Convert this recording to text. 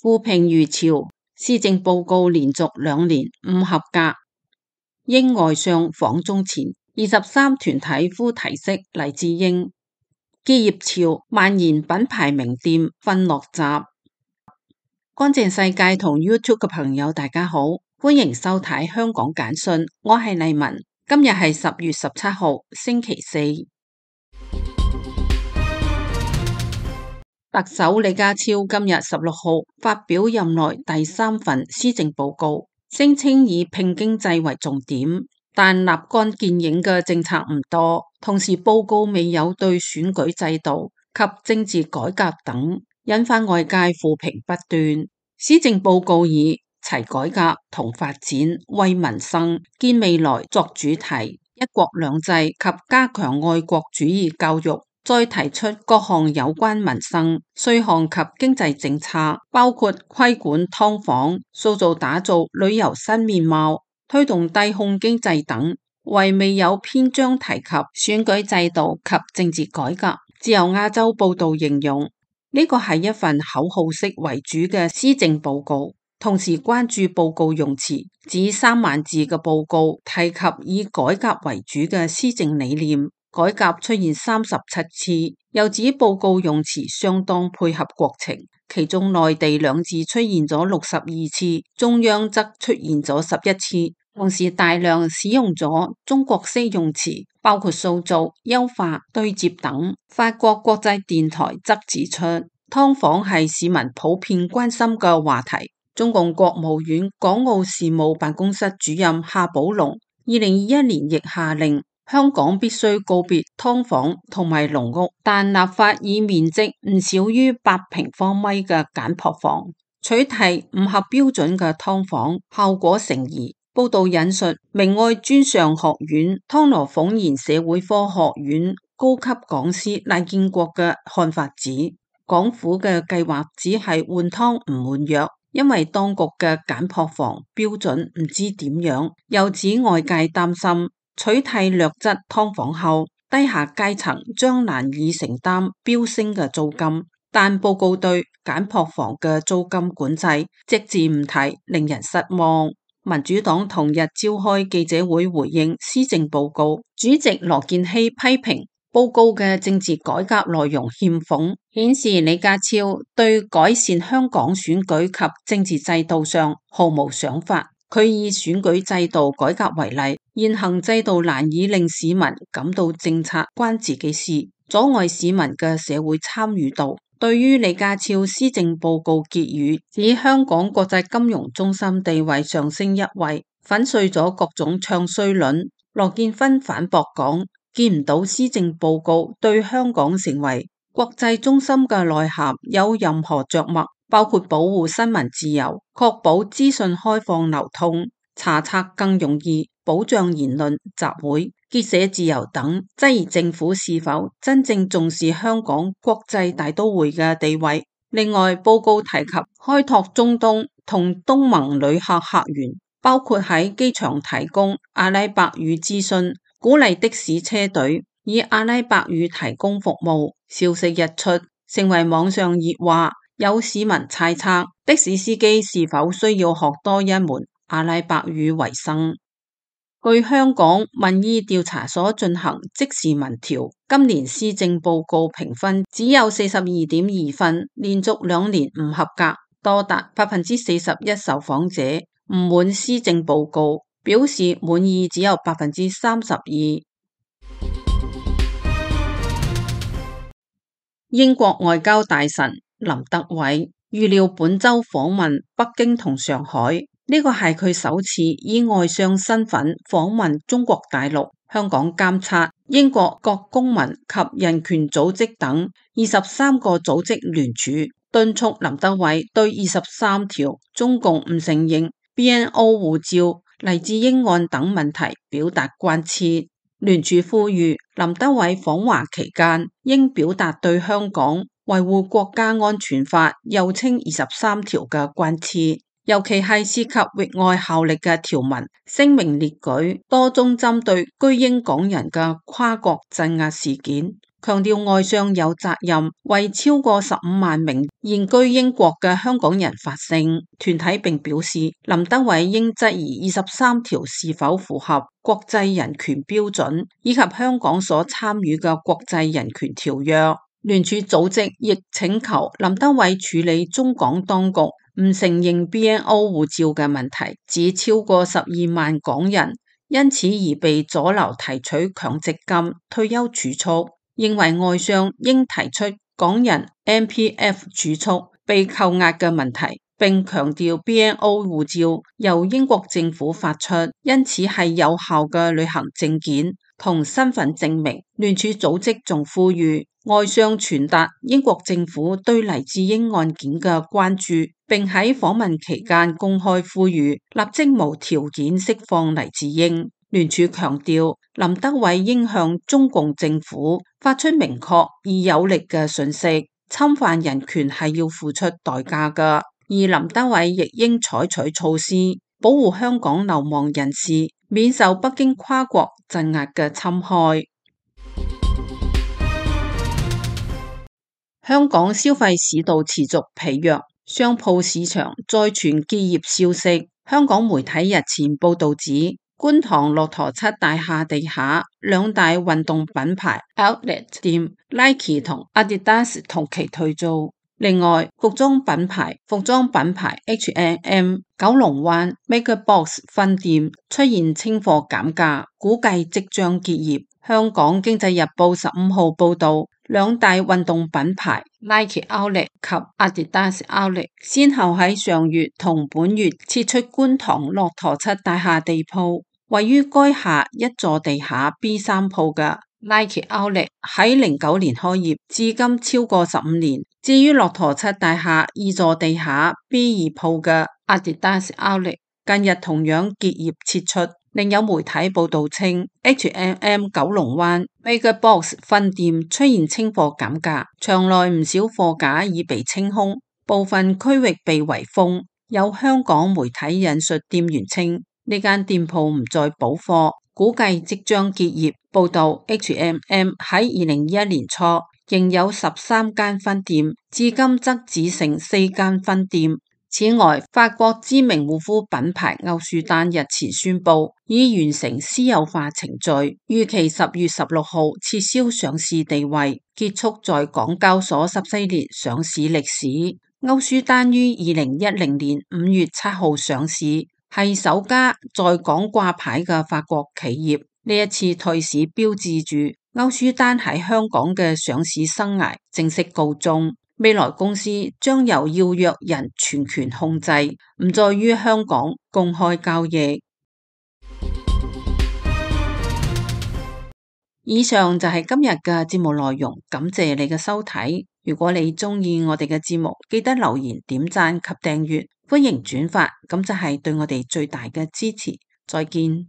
負評如潮，施政報告連續2年唔合格。英外相訪中前，23團體呼提釋黎智英。結業潮蔓延，品牌名店瞓落閘。乾淨世界同 YouTube 嘅朋友大家好，歡迎收睇香港簡訊，我係麗文。今日係10月17號星期四。特首李家超今日16號發表任內第3份施政報告，聲稱以拼經濟為重點，但立竿見影嘅政策唔多。同時報告未有對選舉制度及政治改革等，引發外界負評不斷。施政報告以齊改革同發展、為民生、建未來作主題，一國兩制及加強愛國主義教育。再提出各項有關民生、稅項及經濟政策，包括規管劏房、塑造打造旅遊新面貌、推動低空經濟等，唯未有篇章提及選舉制度及政治改革。自由亞洲報道形容呢個係一份口號式為主嘅施政報告，同時關注報告用詞，指3萬字嘅報告提及以改革為主嘅施政理念。改革出現37次，又指報告用詞相當配合國情，其中內地2字出現咗62次，中央則出現咗11次，同時大量使用咗中國式用詞，包括塑造、優化、對接等。法國國際電台則指出，劏房係市民普遍關心嘅話題。中共國務院港澳事務辦公室主任夏寶龍2021年亦下令，香港必須告別劏房同埋籠屋，但立法以面積唔少於8平方米嘅簡樸房取締唔合標準嘅劏房，效果成疑。報道引述明愛專上學院湯羅鳳賢社會科學院高級講師賴建國嘅看法指，港府嘅計劃只係換湯唔換藥，因為當局嘅簡樸房標準唔知點樣，又指外界擔心取締劣質劏房後，低下階層將難以承擔飆升嘅租金。但報告對簡樸房嘅租金管制隻字唔提，令人失望。民主黨同日召開記者會回應施政報告，主席羅健熙批評報告嘅政治改革內容欠奉，顯示李家超對改善香港選舉及政治制度上毫無想法。佢以選舉制度改革為例，現行制度難以令市民感到政策關自己事，阻礙市民嘅社會參與度。對於李家超施政報告結語，指香港國際金融中心地位上升一位，粉碎咗各種唱衰論。羅健芬反駁講，見唔到施政報告對香港成為國際中心嘅內涵有任何着墨，包括保護新聞自由、確保資訊開放流通、查冊更容易、保障言論、集會、結社自由等，質疑政府是否真正重視香港國際大都會嘅地位。另外，報告提及開拓中東同東盟旅客客源，包括喺機場提供阿拉伯語諮詢，鼓勵的士車隊以阿拉伯語提供服務。消息一出，成為網上熱話。有市民猜測的士司機是否需要學多一門阿拉伯語為生。據香港民意調查所進行即時民調，今年施政報告評分只有42.2分，連續2年唔合格，多達41%受訪者唔滿施政報告，表示滿意只有32%。英國外交大臣林德偉預料本周訪問北京同上海，呢個係佢首次以外相身份訪問中國大陸。香港監察英國各公民及人權組織等23個組織聯署，敦促林德偉對23條中共唔承認 BNO 護照、黎智英案等問題表達關切。聯署呼籲林德偉訪華期間應表達對香港維護國家安全法又稱23條嘅關切。尤其係涉及域外效力嘅條文，聲明列舉多宗針對居英港人嘅跨國鎮壓事件，強調外相有責任為超過15萬名現居英國嘅香港人發聲。團體並表示，林德偉應質疑23條是否符合國際人權標準，以及香港所參與嘅國際人權條約。聯署組織亦請求林德偉處理中港當局唔承認 BNO 護照嘅問題，指超過12萬港人因此而被阻撓提取強積金、退休儲蓄，認為外相應提出港人 MPF 儲蓄被扣押嘅問題，並強調 BNO 護照由英國政府發出，因此係有效嘅旅行證件同身份證明。聯署組織仲呼籲外相傳達英國政府對黎智英案件嘅關注，並喺訪問期間公開呼籲立即無條件釋放黎智英。聯署強調，林德偉應向中共政府發出明確而有力嘅訊息，侵犯人權係要付出代價㗎，而林德偉亦應採取措施保護香港流亡人士免受北京跨國鎮壓嘅侵害。香港消費市道持續疲弱，商鋪市場再傳結業消息。香港媒體日前報道指，觀塘駱駝漆大廈地下兩大運動品牌 Outlet 店 Nike 同 Adidas 同期退租。另外，服裝品牌H&M 九龍灣 MegaBox 分店出現清貨減價，估計即將結業。香港經濟日報15號報道，兩大運動品牌 Nike Outlet 及 Adidas Outlet 先後喺上月同本月撤出觀塘駱駝漆大廈地鋪，位於該廈一座地下 B3 鋪嘅 Nike Outlet 喺09年開業，至今超過15年。至於駱駝漆大廈二座地下 B2 鋪嘅 Adidas Outlet， 近日同樣結業撤出。另有媒體報道稱 H&M 九龍灣 MegaBox 分店出現清貨減價，場內唔少貨架已被清空，部分區域被圍封。有香港媒體引述店員稱，呢間店鋪唔再補貨，估計即將結業。報道 H&M 喺2021年初仍有13間分店，至今則只剩4間分店。此外，法國知名護膚品牌歐舒丹日前宣布已完成私有化程序，預期10月16號撤銷上市地位，結束在港交所14年上市歷史。歐舒丹於2010年5月7號上市，係首家在港掛牌嘅法國企業。呢一次退市標誌住歐舒丹喺香港嘅上市生涯正式告終。未來公司將由要約人全權控制，唔再於香港公開交易。以上就係今日嘅節目內容，感謝你嘅收睇。如果你鍾意我哋嘅節目，記得留言、點讚及訂閱，歡迎轉發，咁就係對我哋最大嘅支持。再見。